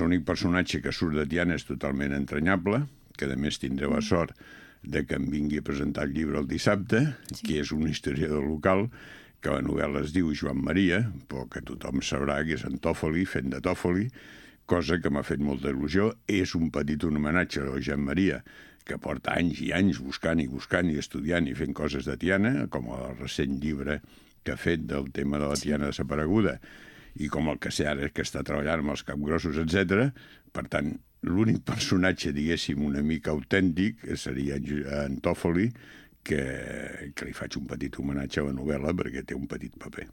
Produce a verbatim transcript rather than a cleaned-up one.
L'únic personatge que surt de Tiana és totalment entranyable, que a més tindré la sort de que em vingui a presentar el llibre el dissabte, sí. que és un historiador local, que la novel·la es diu Joan Maria, però que tothom sabrà que és en Tòfoli, fent de Tòfoli, cosa que m'ha fet molta il·lusió. És un petit homenatge a Joan Maria, que porta anys i anys buscant i buscant i estudiant i fent coses de Tiana, com el recent llibre que ha fet del tema de la Tiana desapareguda, i com el que sé ara que està treballant amb els capgrossos, etcètera. Per tant, l'únic personatge, diguéssim, una mica autèntic seria en Tòfoli, que, que li faig un petit homenatge a la novel·la perquè té un petit paper.